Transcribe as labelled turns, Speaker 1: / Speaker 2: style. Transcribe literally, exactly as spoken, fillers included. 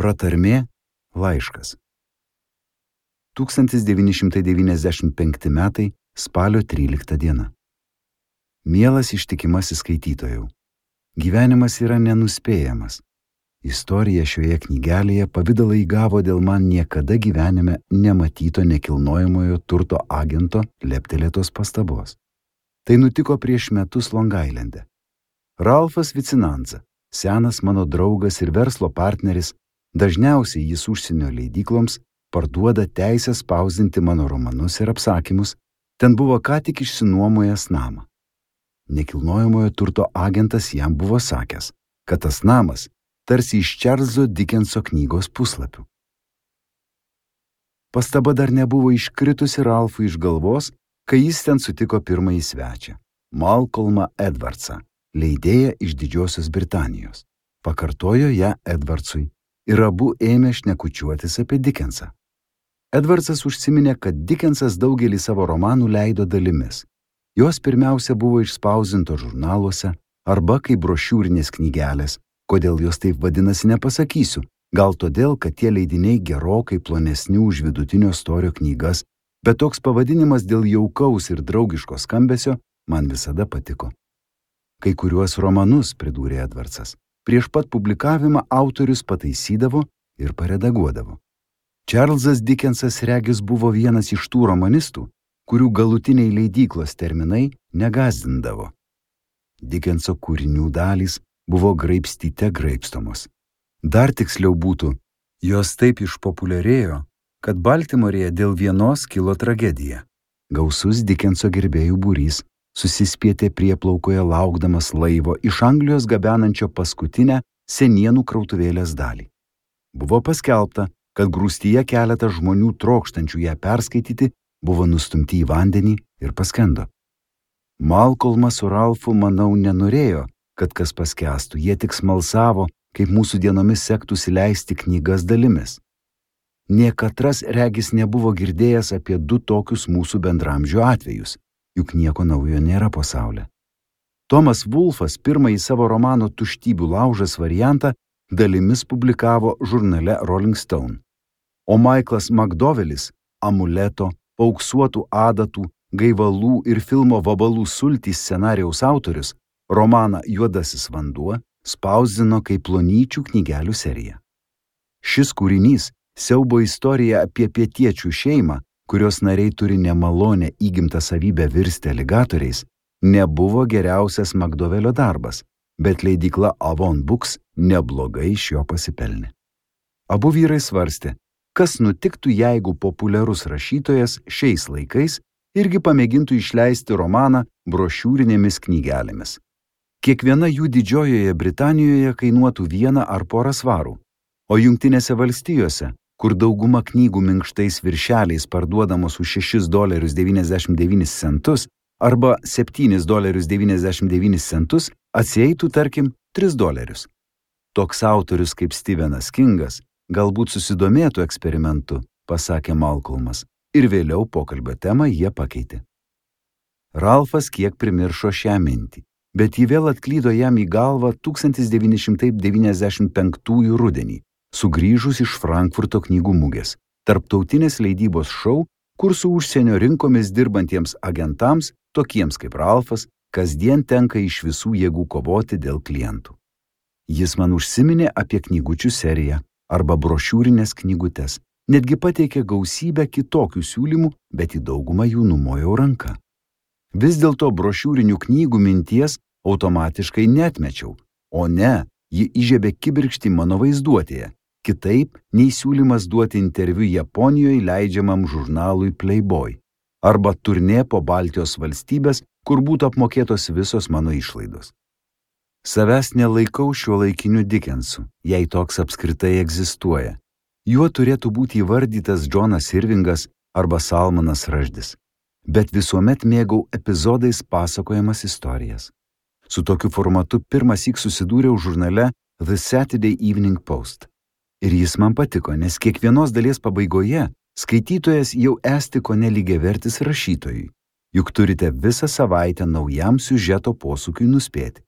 Speaker 1: Pratarmė laiškas. tūkstantis devyni šimtai devyniasdešimt penkti metai spalio trylikta diena. Mielas ištikimasis skaitytojau, gyvenimas yra nenuspėjamas. Istorija šioje knygelėje pavidalą įgavo dėl man niekada gyvenime nematyto nekilnojamojo turto agento leptelėtos pastabos. Tai nutiko prieš metus Long Islande. Ralfas Vicinanza, senas mano draugas ir verslo partneris, dažniausiai jis užsienio leidykloms parduoda teisę spausdinti mano romanus ir apsakymus, ten buvo ką tik išsinuomojęs namą. Nekilnojamojo turto agentas jam buvo sakęs, kad tas namas tarsi iš Čarlzo Dickenso knygos puslapių. Pastaba dar nebuvo iškritusi Ralfui iš galvos, kai jis ten sutiko pirmąjį svečią, Malcolmą Edwardsą, leidėją iš Didžiosios Britanijos. Pakartojo ją Edwardsui ir abu ėmė šnekučiuotis apie Dickensą. Edwardsas užsiminė, kad Dickensas daugelį savo romanų leido dalimis. Jos pirmiausia buvo išspausdintos žurnaluose arba kaip brošiūrinės knygelės. Kodėl jos taip vadinasi, nepasakysiu. Gal todėl, kad tie leidiniai gerokai plonesni už vidutinio storio knygas, bet toks pavadinimas dėl jaukaus ir draugiško skambesio man visada patiko. Kai kuriuos romanus, pridūrė Edwardsas, prieš pat publikavimą autorius pataisydavo ir paredaguodavo. Čarlzas Dickensas regis buvo vienas iš tų romanistų, kurių galutiniai leidyklos terminai negazdindavo. Dickenso kūrinių dalys buvo graibstyte graibstomos. Dar tiksliau būtų, jos taip išpopuliarėjo, kad Baltimorėje dėl vienos kilo tragedija. Gausus Dickenso gerbėjų būrys susispietė prieplaukoje laukdamas laivo iš Anglijos gabenančio paskutinę senienų krautuvėlės dalį. Buvo paskelbta, kad grūstyje keletas žmonių trokštančių ją perskaityti buvo nustumti į vandenį ir paskendo. Malcolmas su Ralfu, manau, nenorėjo, kad kas paskęstų, jie tik smalsavo, kaip mūsų dienomis sektųsi leisti knygas dalimis. Niekatras regis nebuvo girdėjęs apie du tokius mūsų bendramžių atvejus, juk nieko naujo nėra pasaulyje. Tomas Wolfas pirmąjį savo romano Tuštybių laužas variantą dalimis publikavo žurnale Rolling Stone, o Michaelas Makdovelis Amuleto, Paauksuotų adatų, Gaivalų ir filmo Vabalų sultys scenarijaus autorius romaną Juodasis vanduo spausdino kaip plonyčių knygelių seriją. Šis kūrinys siaubo istorija apie pietiečių šeimą, kurios nariai turi nemalonę įgimtą savybę virsti aligatoriais, nebuvo geriausias Makdovelio darbas, bet leidykla Avon Books neblogai iš jo pasipelnė. Abu vyrai svarstė, kas nutiktų, jeigu populiarus rašytojas šiais laikais irgi pamėgintų išleisti romaną brošiūrinėmis knygelėmis. Kiekviena jų Didžiojoje Britanijoje kainuotų vieną ar porą svarų, o Jungtinėse valstijose, kur dauguma knygų minkštais viršeliais parduodamos už šešis dolerius devyniasdešimt devynis centus arba septynis dolerius devyniasdešimt devynis centus, atsieitų, tarkim, tris dolerius. Toks autorius kaip Stephenas Kingas galbūt susidomėtų eksperimentu, pasakė Malcolmas, ir vėliau pokalbio temą jie pakeitė. Ralfas kiek primiršo šią mintį, bet ji vėl atklydo jam į galvą tūkstantis devyni šimtai devyniasdešimt penktųjų rudenį, sugrįžus iš Frankfurto knygų mugės, tarptautinės leidybos šou, kur su užsienio rinkomis dirbantiems agentams, tokiems kaip Ralfas, kasdien tenka iš visų jėgų kovoti dėl klientų. Jis man užsiminė apie knygučių seriją arba brošiūrinės knygutes, netgi pateikė gausybę kitokių siūlymų, bet į daugumą jų numojau ranką. Vis dėlto brošiūrinių knygų minties automatiškai neatmečiau, o ne, ji įžiebė kibirkštį mano vaizduotėje, kitaip nei siūlymas duoti interviu Japonijoje leidžiamam žurnalui Playboy arba turnė po Baltijos valstybės, kur būtų apmokėtos visos mano išlaidos. Savęs nelaikau šiuolaikiniu Dickensu, jei toks apskritai egzistuoja. Juo turėtų būti įvardytas Džonas Irvingas arba Salmanas Raždis, bet visuomet mėgau epizodais pasakojamas istorijas. Su tokiu formatu pirmąsyk susidūriau žurnale The Saturday Evening Post. Ir jis man patiko, nes kiekvienos dalies pabaigoje skaitytojas jau esti kone lygiavertis rašytojui, juk turite visą savaitę naujam siužeto posūkiui nuspėti.